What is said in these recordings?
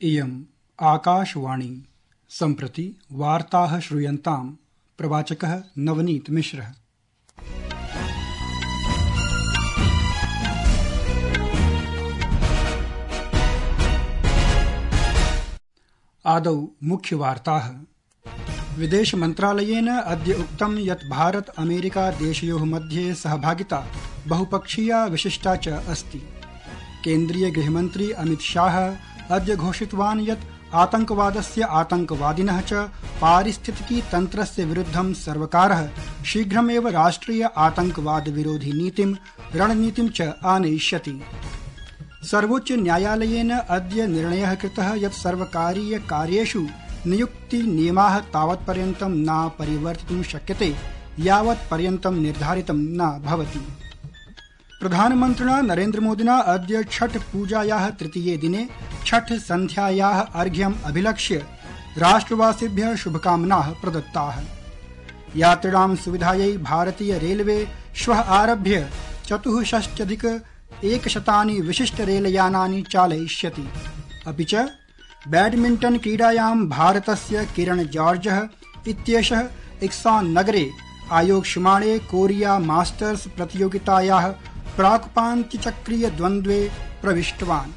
इयम् आकाशवाणी सम्प्रति वार्ताः श्रूयन्ताम् प्रवाचकः नवनीत मिश्रः। आदौ मुख्यवार्ताः। विदेश मन्त्रालयेन अद्य उक्तं यत् भारत अमेरिका देशयोः मध्ये सहभागिता बहुपक्षीया विशिष्टा च अस्ति। केन्द्रीय गृहमन्त्री अमित शाह अद्य घोषितवान् यत् आतंकवादस्य आतंकवादिनः च पारिस्थितिकी तन्त्रस्य विरुद्धं सर्वकारः शीघ्रमेव राष्ट्रिय आतंकवाद विरोधी नीतिं रणनीतिं च आनयिष्यति। सर्वोच्च न्यायालयेन अद्य निर्णयः कृतः यत् सर्वकारीय कार्येषु नियुक्ति नियमाः तावत्पर्यन्तं न परिवर्तितुं शक्यते यावत्पर्यन्तं निर्धारितं न भवति। प्रधानमन्त्रिणा नरेन्द्रमोदिना अद्य छठ पूजायाः तृतीये दिने छठ सन्ध्यायाः अर्घ्यम् अभिलक्ष्य राष्ट्रवासिभ्यः शुभकामनाः प्रदत्ताः। यात्रिणां सुविधायै भारतीय रेलवे श्वः आरभ्य 64,100 विशिष्ट रेलयानानि चालयिष्यति। अपि च बैडमिण्टन् क्रीडायां भारतस्य किरण जॉर्जः इत्येषः इक्सान् नगरे आयोक्ष्यमाणे कोरिया मास्टर्स प्रतियोगितायाः प्राक्पान्त्यचक्रीय द्वन्द्वे प्रविष्टवान्।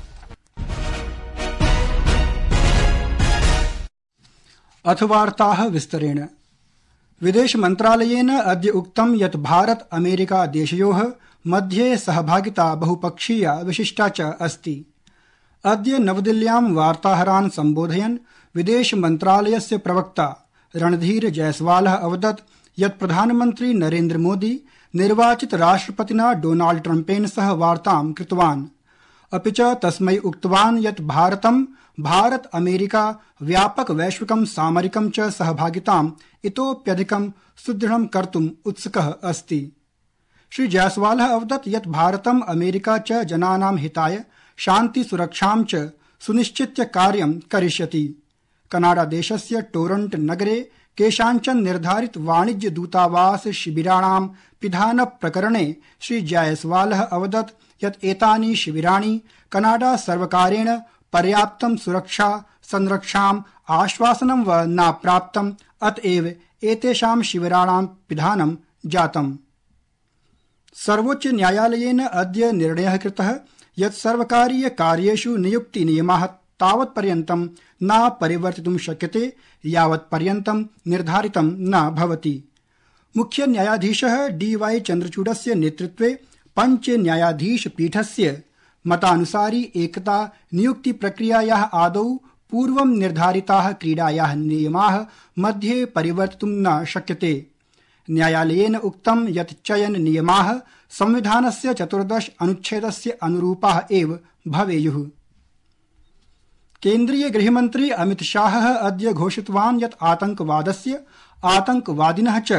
अथ वार्ताः विस्तरेण। विदेश मन्त्रालयेन अद्य उक्तं यत् भारत अमेरिका देशयोः मध्ये सहभागिता बहुपक्षीया विशिष्टा च अस्ति। अद्य नवदिल्ल्यां वार्ताहरान् सम्बोधयन् विदेश मन्त्रालयस्य प्रवक्ता रणधीर जयसवालः अवदत् यत् प्रधानमन्त्री नरेन्द्र मोदी निर्वाचित राष्ट्रपतिना डोनाल्ड ट्रम्पेन सह वार्तां कृतवान्। अपि च तस्मै उक्तवान् यत् भारतं भारत अमेरिका व्यापक वैश्विकं सामरिकं च सहभागिताम् इतोप्यधिकं सुदृढं कर्तुम् उत्सुकः अस्ति। श्री जयसवालः अवदत् यत् भारतं अमेरिका च जनानां हिताय शान्ति सुरक्षां च सुनिश्चित्य कार्यं करिष्यति। कनाडा देशस्य टोरंट नगरे केषाञ्चन निर्धारित वाणिज्य दूतावास शिबिराणां पिधान प्रकरणे श्री जायसवालः अवदत् यत् एतानि शिबिराणि कनाडा सर्वकारेण पर्याप्तं सुरक्षा संरक्षाम् आश्वासनं व न प्राप्तम्, अतएव एतेषां शिबिराणां पिधानं जातम्। सर्वोच्च न्यायालयेन अद्य निर्णयः कृतः यत् सर्वकारीय कार्येषु नियुक्ति नियमाः तावत्पर्यन्तं न परिवर्तितुं शक्यते यावत्पर्यन्तं निर्धारितं न भवति। मुख्य न्यायाधीशः DY चन्द्रचूडस्य नेतृत्वे पञ्च न्यायाधीश पीठस्य मतानुसारि एकता नियुक्ति प्रक्रियायाः आदौ पूर्वं निर्धारिताः क्रीडायाः नियमाः मध्ये परिवर्तितुं न शक्यते। न्यायालयेन उक्तं यत् चयन नियमाः संविधानस्य 14 अनुच्छेदस्य अनुरूपाः एव भवेयुः। केन्द्रीय गृहमन्त्री अमित शाहः अद्य घोषितवान् यत् आतंकवादस्य आतंकवादिनः च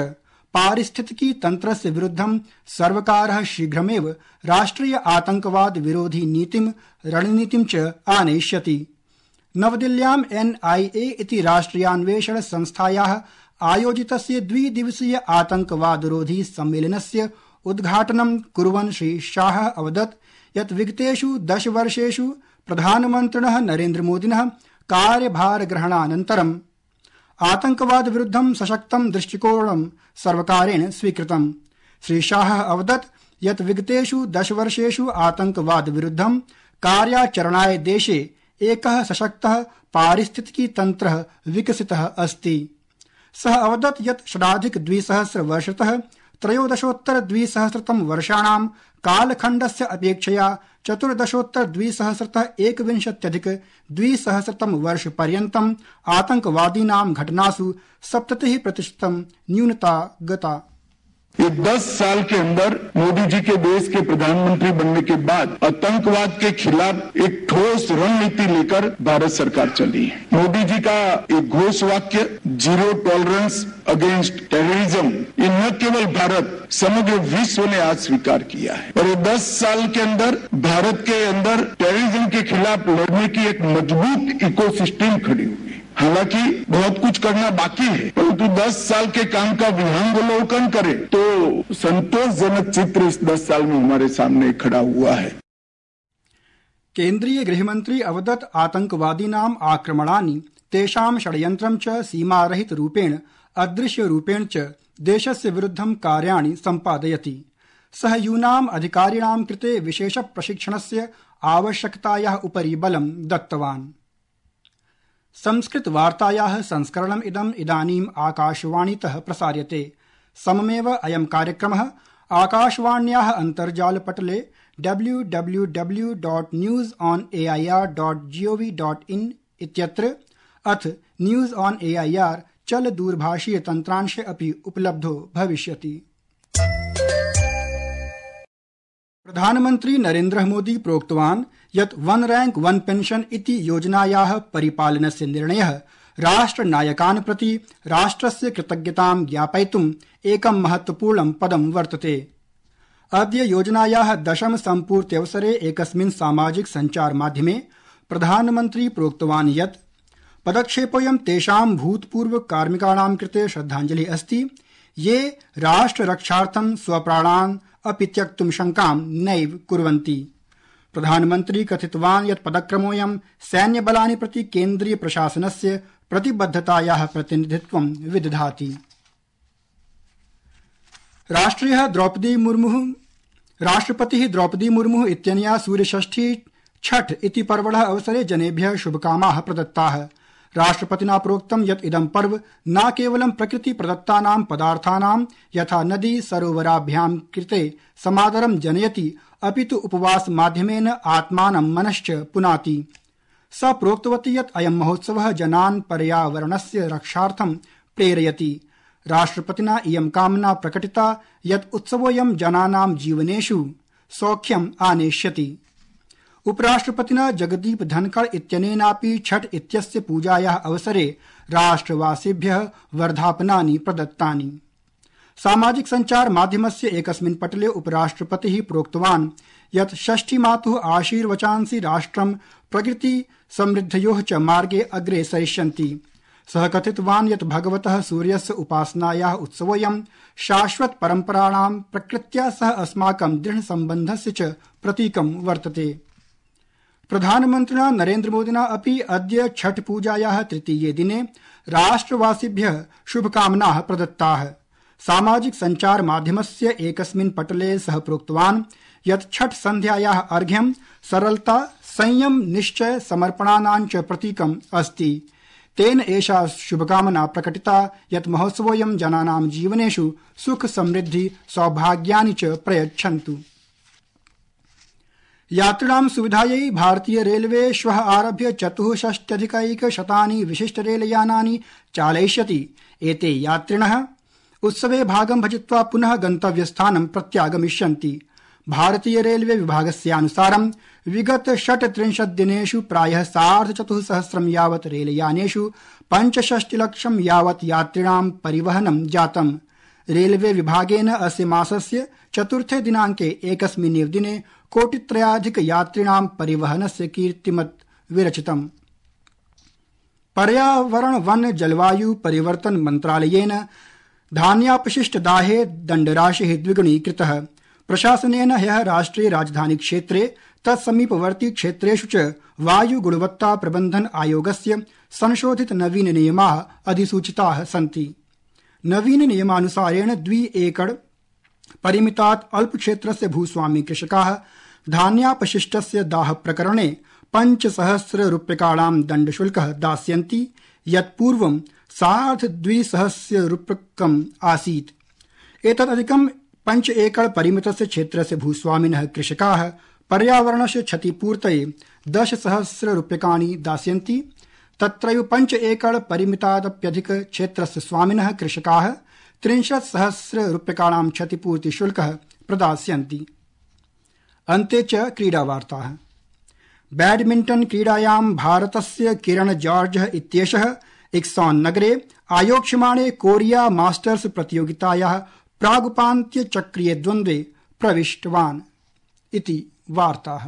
पारिस्थितिकी तन्त्रस्य विरुद्धं सर्वकारः शीघ्रमेव राष्ट्रिय आतंकवाद विरोधी नीतिं रणनीतिं च आनयिष्यति। नवदिल्ल्यां NIA इति राष्ट्रियान्वेषण संस्थायाः आयोजितस्य द्विदिवसीय आतंकवादरोधी सम्मेलनस्य उद्घाटनं कुर्वन् श्री शाहः अवदत् यत् विगतेषु 10 वर्षेषु प्रधानमन्त्रिणः नरेन्द्रमोदिनः कार्यभारग्रहणानन्तरम् आतंकवाद विरुद्धं सशक्तं दृष्टिकोणं सर्वकारेण स्वीकृतम्। श्री शाहः अवदत् यत् विगतेषु 10 वर्षेषु आतंकवाद विरुद्धं कार्याचरणाय देशे एकः सशक्तः पारिस्थितिकी तन्त्रः विकसितः अस्ति। सः अवदत् यत् षडाधिक-200 वर्षतः त्रयोदशोत्तर-200 वर्षाणां कालखण्डस्य अपेक्षया 14-200 एकविंशत्यधिक-200 वर्षपर्यन्तम् आतंकवादीनां घटनासु 70% न्यूनता गता। ये 10 साल के अंदर मोदी जी के देश के प्रधानमंत्री बनने के बाद आतंकवाद के खिलाफ एक ठोस रणनीति लेकर भारत सरकार चली है। मोदी जी का एक घोष वाक्य जीरो टॉलरेंस अगेंस्ट टेररिज्म, ये न केवल भारत समग्र विश्व ने आज स्वीकार किया है और ये 10 साल के अंदर भारत के अंदर टेररिज्म के खिलाफ लड़ने की एक मजबूत इकोसिस्टम खड़ी हुई। हालांकि बहुत कुछ करना बाकी है, परंतु 10 साल के काम का विहंगावलोकन करें तो संतोषजनक चित्र इस 10 साल में हमारे सामने खड़ा हुआ है। केन्द्रीय गृहमन्त्री अवदत् आतंकवादीनाम् आक्रमणानि तेषां षड्यन्त्रं च सीमारहितरूपेण अदृश्यरूपेण च देशस्य विरुद्धं कार्याणि सम्पादयति। सः यूनाम् अधिकारिणां कृते विशेष प्रशिक्षणस्य आवश्यकतायाः उपरि बलं दत्तवान्। संस्कृत वार्तायाः संस्करणम् इदानीम् आकाशवाणीतः प्रसार्यते। सममेव अयं कार्यक्रमः आकाशवाण्याः अन्तर्जालपटले www.newsonair.gov.in इत्यत्र अथ न्यूज ऑन एआईआर चल दूरभाषीय तन्त्रांशे अपि उपलब्धो भविष्यति। प्रधानमन्त्री नरेन्द्र मोदी प्रोक्तवान् यत् वन रैंक वन पेंशन इति योजनायाः परिपालनस्य निर्णयः राष्ट्रनायकान् प्रति राष्ट्रस्य कृतज्ञतां ज्ञापयितुम् एकं महत्वपूर्णं पदं वर्तते। अद्य योजनायाः 10म सम्पूर्त्यवसरे एकस्मिन् सामाजिक सञ्चार माध्यमे प्रधानमन्त्री प्रोक्तवान् यत् पदक्षेपोऽयं तेषां भूतपूर्व कार्मिकाणां कृते श्रद्धाञ्जलिः अस्ति ये राष्ट्ररक्षार्थं स्वप्राणान् अपि त्यक्तुं शङ्कां नैव कुर्वन्ति। प्रधानमन्त्री कथितवान् यत् पदक्रमोऽयं सैन्यबलानि प्रति केन्द्रीय प्रशासनस्य प्रतिबद्धतायाः प्रतिनिधित्वं विदधाति। राष्ट्रपतिः द्रौपदी मुर्मुः इत्यनया सूर्यषष्ठी छठ इति पर्वणः अवसरे जनेभ्यः शुभकामनाः प्रदत्ताः। राष्ट्रपतिना प्रोक्तं यत् इदं पर्व न केवलं प्रकृति प्रदत्तानां पदार्थानां यथा नदी सरोवराभ्यां कृते समादरं जनयति अपितु उपवास माध्यमेन आत्मानं मनश्च पुनाति। सा प्रोक्तवती यत् अयं महोत्सवः जनान् पर्यावरणस्य रक्षार्थं प्रेरयति। राष्ट्रपतिना इयं कामना प्रकटिता यत् उत्सवोऽयं जनानां जीवनेषु सौख्यम् आनेष्यति। उपराष्ट्रपतिना जगदीप धनखड़ इत्यनेनापि छठ इत्यस्य पूजायाः अवसरे राष्ट्रवासिभ्यः वर्धापनानि प्रदत्तानि। सामाजिक सञ्चार माध्यमस्य एकस्मिन् पटले उपराष्ट्रपतिः प्रोक्तवान् यत् षष्ठीमातुः आशीर्वचांसि राष्ट्रं प्रकृति समृद्धयोः च मार्गे अग्रे सरिष्यन्ति। सः कथितवान् यत् भगवतः सूर्यस्य उपासनायाः उत्सवोऽयं शाश्वत परम्पराणां प्रकृत्या सह अस्माकं दृढ सम्बन्धस्य च प्रतीकं वर्तते। प्रधानमन्त्रिणा नरेन्द्र मोदिना अपि अद्य छठ पूजायाः तृतीये दिने राष्ट्रवासिभ्यः शुभकामनाः प्रदत्ताः। सामाजिक सञ्चार माध्यमस्य एकस्मिन् पटले सः प्रोक्तवान् यत् छठ सन्ध्यायाः अर्घ्यं सरलता, संयम, निश्चय, समर्पणानां च प्रतीकम् अस्ति। तेन एषा शुभकामना प्रकटिता यत् महोत्सवोऽयं जनानां जीवनेषु सुख समृद्धि सौभाग्यानि च प्रयच्छन्तु। यात्रिणां सुविधायै भारतीय रेलवे श्वः आरभ्य 64,100 विशिष्ट रेलयानानि चालयिष्यति। एते यात्रिणः उत्सवे भागं भजित्वा पुनः गन्तव्यस्थानं प्रत्यागमिष्यन्ति। भारतीय रेलवे विभागस्यानुसारं विगत 36 दिनेषु प्रायः 4,500 यावत् रेलयानेषु 65 लक्षं यावत् यात्रिणां परिवहनं जातम्। रेलवे विभागेन अस्य मासस्य 4 दिनाङ्के एकस्मिन्नेव दिने 1,300,000 यात्रिणां परिवहनस्य कीर्तिमत् विरचितम्। पर्यावरण वन जलवायु परिवर्तन मन्त्रालयेन धान्यापशिष्टदाहे दण्डराशिः द्विगुणीकृतः। प्रशासनेन ह्यः राष्ट्रिय राजधानी क्षेत्रे तत्समीपवर्ती क्षेत्रेषु च वायु गुणवत्ता प्रबन्धन आयोगस्य संशोधित नवीन नियमाः अधिसूचिताः सन्ति। नवीन नियमानुसारेण 2 एकड़ परिमितात् अल्पक्षेत्रस्य भूस्वामी कृषकाः धान्यापशिष्टस्य दाह प्रकरणे 5,000 रूप्यकाणां दण्डशुल्कः दास्यन्ति, यत् पूर्वं 2,200 रूप्यकम् आसीत्। एतदधिकं 5 एकड़ परिमितस्य क्षेत्रस्य भूस्वामिनः कृषकाः पर्यावरणस्य क्षतिपूर्तये 10,000 रूप्यकाणि दास्यन्ति। तत्रैव 5 एकड़ परिमितादप्यधिक क्षेत्रस्य स्वामिनः कृषकाः 30,000 रूप्यकाणां क्षतिपूर्तिशुल्कः प्रदास्यन्ति। अन्ते च क्रीडावार्ताः। बैडमिण्टन क्रीडायां भारतस्य किरण जॉर्ज इत्येषः इक्सॉन नगरे आयोक्ष्यमाणे कोरिया मास्टर्स प्रतियोगितायाः प्रागुपान्त्यचक्रीय द्वन्द्वे प्रविष्टवान् इति वार्ताः।